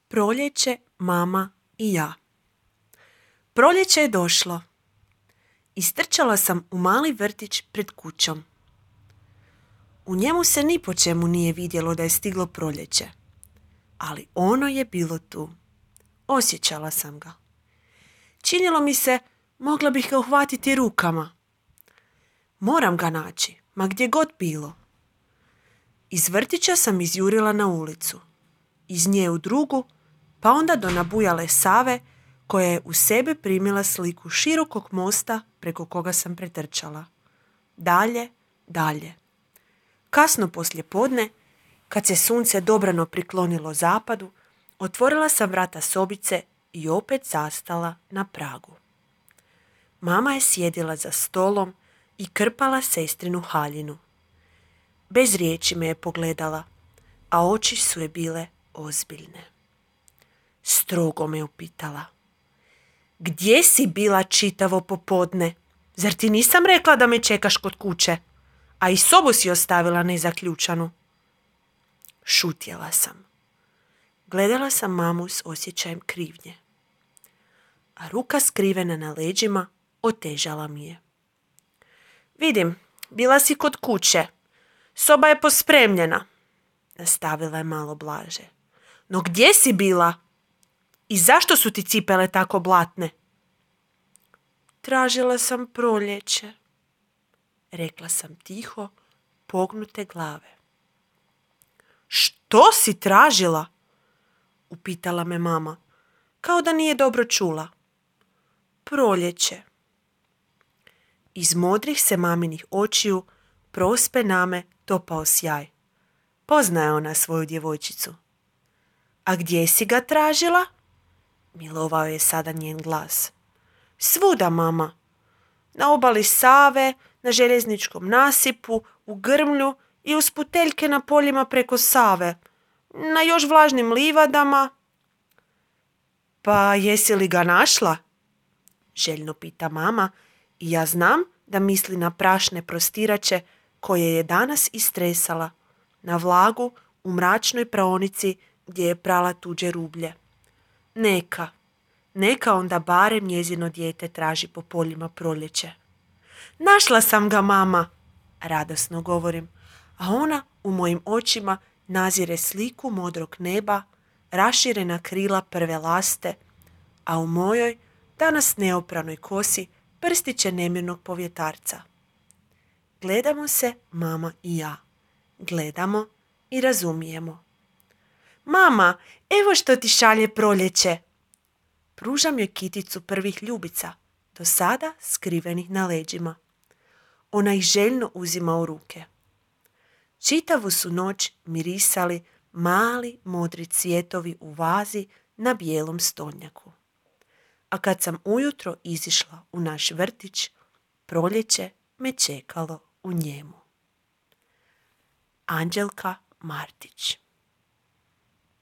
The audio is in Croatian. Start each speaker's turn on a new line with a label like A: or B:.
A: Proljeće, mama i ja. Proljeće je došlo. Istrčala sam u mali vrtić pred kućom. U njemu se ni po čemu nije vidjelo da je stiglo proljeće, ali ono je bilo tu. Osjećala sam ga. Činilo mi se, mogla bih ga uhvatiti rukama. Moram ga naći, ma gdje god bilo. Iz vrtića sam izjurila na ulicu, iz nje u drugu, pa onda do nabujale Save, koja je u sebe primila sliku širokog mosta preko koga sam pretrčala. Dalje, dalje. Kasno poslijepodne, kad se sunce dobrano priklonilo zapadu, otvorila sam vrata sobice i opet zastala na pragu. Mama je sjedila za stolom i krpala sestrinu haljinu. Bez riječi me je pogledala, a oči su je bile ozbiljne. Strogo me upitala: gdje si bila čitavo popodne? Zar ti nisam rekla da me čekaš kod kuće? A i sobu si ostavila nezaključanu. Šutjela sam. Gledala sam mamu s osjećajem krivnje. A ruka skrivena na leđima otežala mi je. Vidim, bila si kod kuće. Soba je pospremljena, nastavila je malo blaže. No gdje si bila? I zašto su ti cipele tako blatne? Tražila sam proljeće, rekla sam tiho, pognute glave. Što si tražila? Upitala me mama, kao da nije dobro čula. Proljeće. Iz modrih se maminih očiju prospe name topao sjaj. Poznaje ona svoju djevojčicu. A gdje si ga tražila? Milovao je sada njen glas. Svuda, mama. Na obali Save, na željezničkom nasipu, u grmlju i uz puteljke na poljima preko Save. Na još vlažnim livadama. Pa jesi li ga našla? Željno pita mama i ja znam da misli na prašne prostirače koje je danas istresala, na vlagu u mračnoj praonici gdje je prala tuđe rublje. Neka onda barem njezino dijete traži po poljima proljeće. Našla sam ga, mama, radosno govorim, a ona u mojim očima nazire sliku modrog neba, raširena krila prve laste, a u mojoj, danas neopranoj kosi, prstiće nemirnog povjetarca. Gledamo se, mama i ja. Gledamo i razumijemo. Mama, evo što ti šalje proljeće. Pružam joj kiticu prvih ljubica, do sada skrivenih na leđima. Ona ih željno uzima u ruke. Čitavu su noć mirisali mali modri cvjetovi u vazi na bijelom stolnjaku. A kad sam ujutro izišla u naš vrtić, proljeće me čekalo u njemu. Anđelka Martić.